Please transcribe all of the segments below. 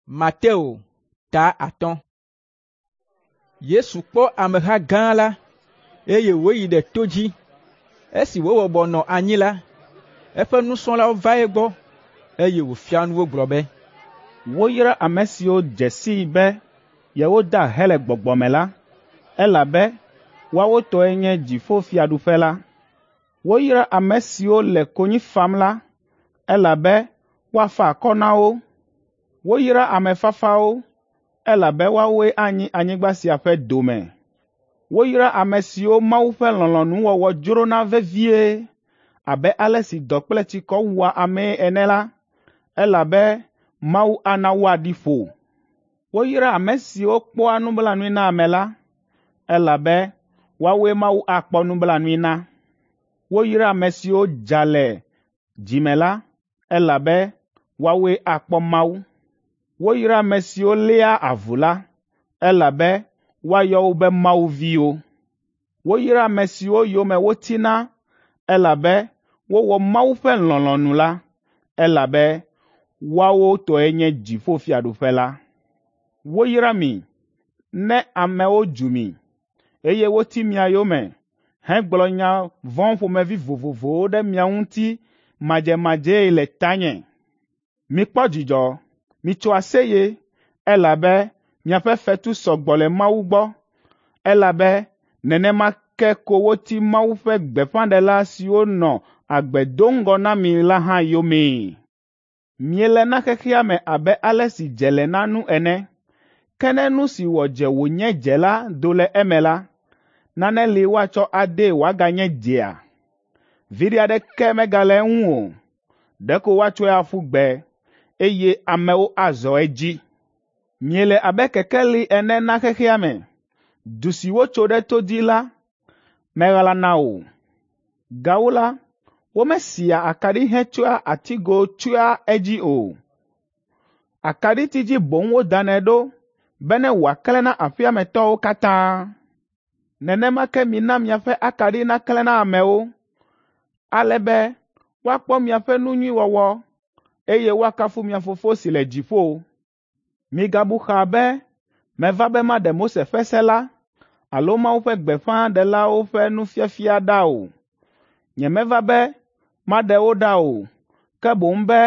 Mateo ta 5. Yesu kpɔ ameha gã la, eye wòyi ɖe to dzi. Esi wòbɔbɔ nɔ anyi la, eƒe nusrɔ̃lawo va egbɔ, eye wòfia nu wo gblɔ be, Woyra ame siwo dze sii be yewoda ahe le gbɔgbɔ me la, elabe woawo tɔe nye dziƒofiaɖuƒe la. Woyra ame siwo le konyi fam la, elabe woafa akɔ na wo. Woyra ame fafawo, elabe woawoe anyi anyigba sia ƒe dome. Woyra ame siwo Mawu ƒe lɔlɔ̃nuwɔwɔ dzrona vevie abe ale si dɔ kple tsikɔ wua amee ene la, elabe Mawu ana woaɖi ƒo. Woyra ame siwo kpɔa nublanui na ame la, elabe woawoe Mawu akpɔ nublanui na. Woyra ame siwo dza le dzi me la, elabe woawoe akpɔ Mawu. Woyra ame siwo léa avu la, elabe woayɔ wo be Mawu viwo. Woyra ame siwo yome wotina, elabe wowɔ Mawu ƒe lɔlɔ̃nu la, elabe woawo tɔe nye dziƒofiaɖuƒe la. Woyra mi ne amewo dzu mi, eye woti mia yome hegblɔ nya vɔ̃ ƒomevi vovovowo ɖe mia ŋuti madzemadzee le tanye. Mikpɔ dzidzɔ, mitso aseye, elabe miaƒe fetu sɔ gbɔ le Mawu gbɔ, elabe nenema ke ko woti Mawu ƒe gbeƒãɖela siwo nɔ agbe do ŋgɔ na mi la hã yomee. Miele na xexea me abe ale si dze le na nu ene. Ke ne nu si wɔ dze wònye dze la do le eme la, nane li woatsɔ adee wòaganye dzea? Viɖe aɖeke megale eŋu o, ɖeko woatsɔe aƒu gbe, eye amewo azɔ edzi. Miele abe kekeli ene na xexea me. Du si wotso ɖe to dzi la meɣlana o. Gawu la, womesia akaɖi hetsɔa atigo tsyɔa edzi o. Akaɖiti dzi boŋ wodanɛ ɖo bene wòaklẽ na aƒea me tɔwo katã. Nenema ke mina miaƒe akaɖi naklẽ na amewo, ale be woakpɔ miaƒe nu nyui wɔwɔ, eye woakafu mia Fofo si le dziƒo. Migabu xaa be meva be maɖe Mose ƒe se la alo Mawu ƒe gbeƒãɖelawo ƒe nufiafia ɖa o. Nyemeva be maɖe wo ɖa o, ke boŋ be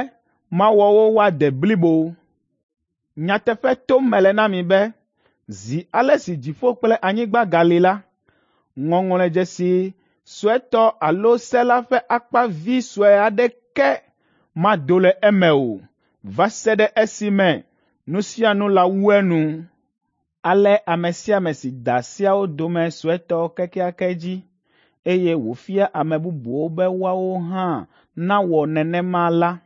mawɔ wo woade blibo. Nyateƒe tom mele na mi be zi ale si dziƒo kple anyigba gali la, ŋɔŋlɔdzesi suetɔ alo se la ƒe akpa vi sue aɖeke mado le eme o va se ɖe esime nu sia nu lawu enu. Ale ame sia ame si da seawo dome suetɔ kekeake dzi, eye wòfia ame bubuwo be woawo hã nawɔ nenema la,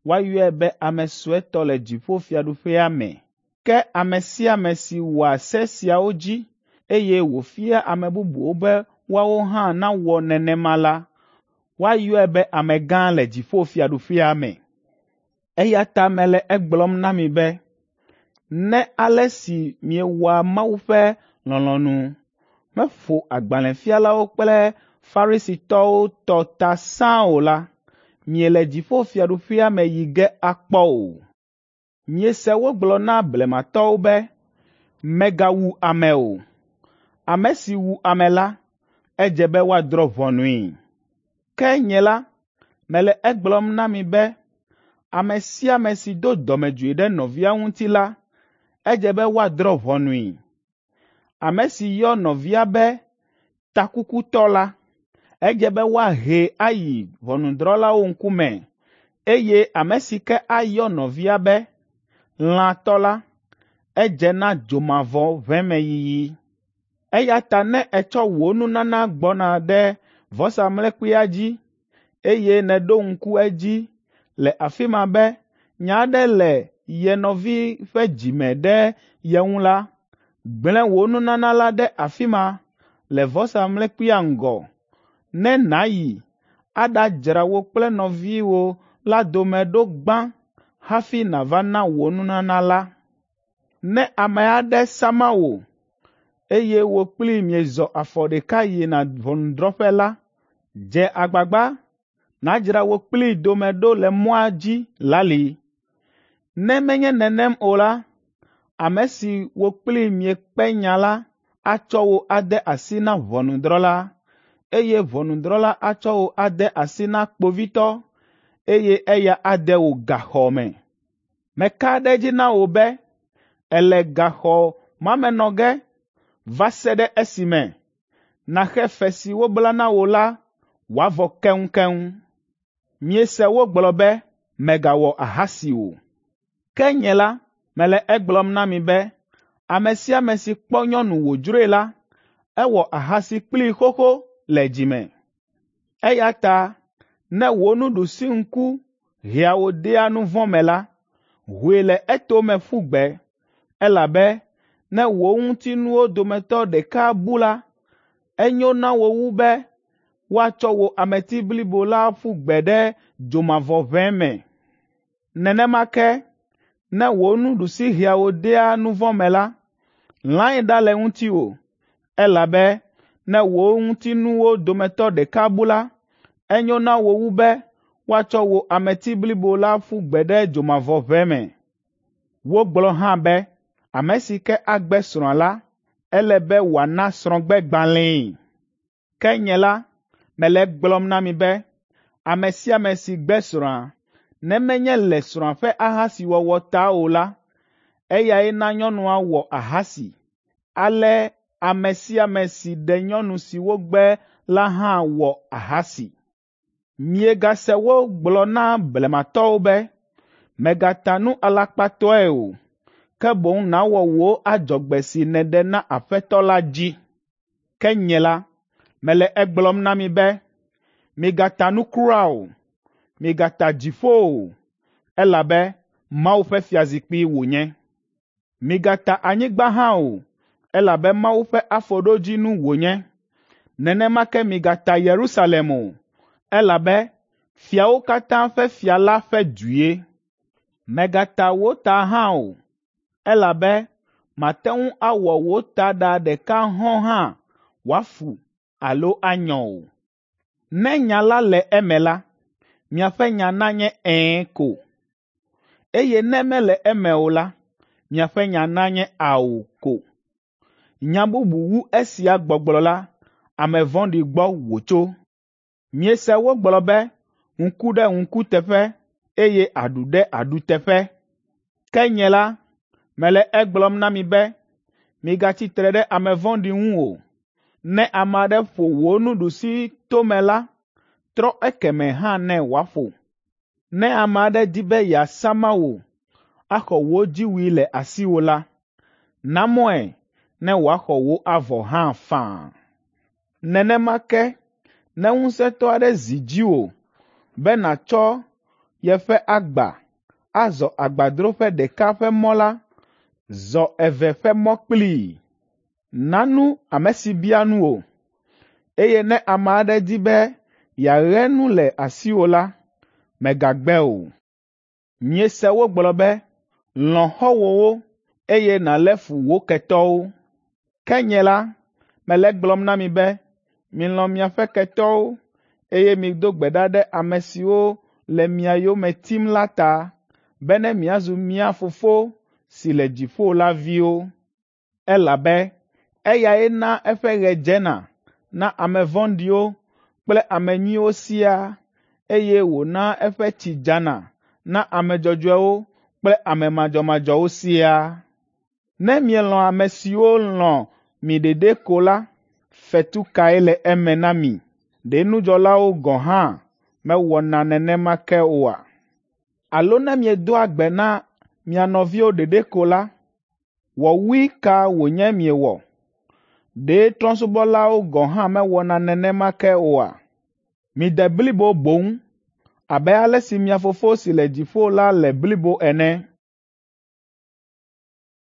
woayɔe be ame suetɔ le dziƒofiaɖuƒea me. Ke ame sia ame si wɔa se siawo dzi, eye wòfia ame bubuwo be woawo hã nawɔ nenema la, woayɔe be amegã le dziƒofiaɖuƒea me. Eya ta mele egblɔm na mi be, ne ale si miewɔa Mawu ƒe lɔlɔ̃nu meƒo agbalẽfialawo kple Farisitɔwo tɔ ta sãa o la, miele dziƒofiaɖuƒea me yi ge akpɔ o. Miese wogblɔ na blematɔwo be, ‘Mègawu ame o. Ame si wu ame la, edze be woadrɔ̃ ʋɔnui.’ Ke nye la, mele egblɔm na mi be ame sia ame si do dɔmedzoe ɖe nɔvia ŋuti la, edze be woadrɔ̃ ʋɔnui. Ame si yɔ nɔvia be takukutɔ la, edze be woahee ayi ʋɔnudrɔ̃lawo ŋkume, eye ame si ke ayɔ nɔvia be lãtɔ la, edze na dzomavɔʋemeyiyi. Eya ta ne ètsɔ wò nunana gbɔna ɖe vɔsamlekpuia dzi, eye nèɖo ŋku edzi le afi ma be nya aɖe le ye nɔvi ƒe dzi me ɖe ye ŋu la, gblẽ wò nunana la ɖe afi ma le vɔsamlekpuia ŋgɔ, ne nàyi aɖadzra wò kple nɔviwò la dome ɖo gbã hafi nàva na wò nunana la. Ne ame aɖe sama wò, eye wò kplii miezɔ afɔ ɖeka yina ʋɔnudrɔ̃ƒe la, dze agbagba nàdzra wò kplii dome ɖo le mɔa dzi lali. Ne menye nenem o la, ame si wò kplii miekpe nya la atsɔ wò ade asi na ʋɔnudrɔ̃la, eye ʋɔnudrɔ̃la atsɔ wò ade asi na kpovitɔ, eye eya ade wò gaxɔ me. Meka ɖe edzi na wò be èle gaxɔ ma me nɔ ge va se ɖe esime nàxe fe si wobla na wò la wòavɔ keŋkeŋ. Miese wogblɔ be, ‘Mègawɔ ahasi o.’ Ke nye la, mele egblɔm na mi be ame sia ame si kpɔ nyɔnu wòdzroe la, ewɔ ahasi kplii xoxo le dzi me. Eya ta ne wò nuɖusiŋku hea wò dea nu vɔ̃ me la, hoe le etome ƒu gbe, elabe ne wò ŋutinuwo dometɔ ɖeka bu la, enyo na wò wu be woatsɔ wò ameti blibo la aƒu gbe ɖe dzomavɔʋe me. Nenema ke ne wò nuɖusi hea wò dea nu vɔ̃ me la, lãe ɖa le ŋutiwò, elabe ne wò ŋutinuwo dometɔ ɖeka bu la, enyo na wò wu be woatsɔ wò ameti blibo la ƒu gbe ɖe dzomavɔʋe me. Wogblɔ hã be, ame si ke agbe srɔ̃a la, ele be wòana srɔ̃gbegbalẽe. Ke nye la, mele egblɔm na mi be ame sia ame si gbe srɔ̃a, ne menye le srɔ̃a ƒe ahasiwɔwɔ ta o la, eyae na nyɔnua wɔ ahasi. Ale ame sia ame si ɖe nyɔnu si wogbe la hã wɔ ahasi. Miegase wogblɔ na blematɔwo be, ‘Mègata nu alakpatɔe o, ke boŋ nàwɔ wò adzɔgbe si nèɖe na Aƒetɔ la dzi.’ Ke nye la, mele egblɔm na mi be, migata nu kura o. Migata dziƒo o, elabe Mawu ƒe fiazikpui wònye. Migata anyigba hã o, elabe Mawu ƒe afɔɖodzinu wònye. Nenema ke migata Yerusalem o, elabe fiawo katã ƒe fia la ƒe due. Mègata wò ta hã o, elabe màte ŋu awɔ wò taɖa ɖeka hɔ̃ hã wòafu alo anyɔ o. Ne nya la le eme la, miaƒe nya nanye ‘Ɛ̃’ ko, eye ne mele eme o la, miaƒe nya nanye ‘Ao’ ko. Nya bubu wu esia gbɔgblɔ la, ame vɔ̃ɖi gbɔ wòtso. Miese wogblɔ be, ‘Ŋku ɖe ŋku teƒe, eye aɖu ɖe aɖu teƒe.’ Ke nye la, mele egblɔm na mi be, migatsi tre ɖe ame vɔ̃ɖi ŋu o. Ne ame aɖe ƒo wò nuɖusi tome la, trɔ ekemɛ hã nɛ wòaƒo. Ne ame aɖe di be yeasama wò, axɔ wò dziwui le asiwò la, na mɔe ne wòaxɔ wò avɔ hã faa. Nenema ke ne ŋusẽtɔ aɖe zi dziwò be nàtsɔ yeƒe agba azɔ agbadroƒe ɖeka ƒe mɔ la, zɔ eve ƒe mɔ kplii. Na nu ame si bia nu wò, eye ne ame aɖe di be yeaɣe nu le asiwò la, mègagbe o. Miese wogblɔ be, ‘Lɔ̃ xɔ̃wòwo, eye nàlé fu wò ketɔwo.’ Ke nye la, mele egblɔm na mi be, milɔ̃ miaƒe ketɔwo, eye mido gbe ɖa ɖe ame siwo le mia yome tim la ta, bene miazu mia Fofo si le dziƒo la viwo. Elabe eyae naa eƒe ɣe dzena na ame vɔ̃ɖiwo kple ame nyuiwo siaa, eye wònaa eƒe tsi dzana na ame dzɔdzɔewo kple ame madzɔmadzɔwo siaa. Ne mielɔ̃ ame siwo lɔ̃ mi ɖeɖe ko la, fetu kae le eme na mi? Ɖe nudzɔlawo gɔ̃ hã mewɔna nenema ke oa? Alo ne miedoa gbe na mia nɔviwo ɖeɖe ko la, wɔwui ka wònye miewɔ? Ɖe trɔ̃subɔlawo gɔ̃ hã mewɔna nenema ke oa? Mide blibo boŋ abe ale si mia Fofo si le dziƒo la le blibo ene.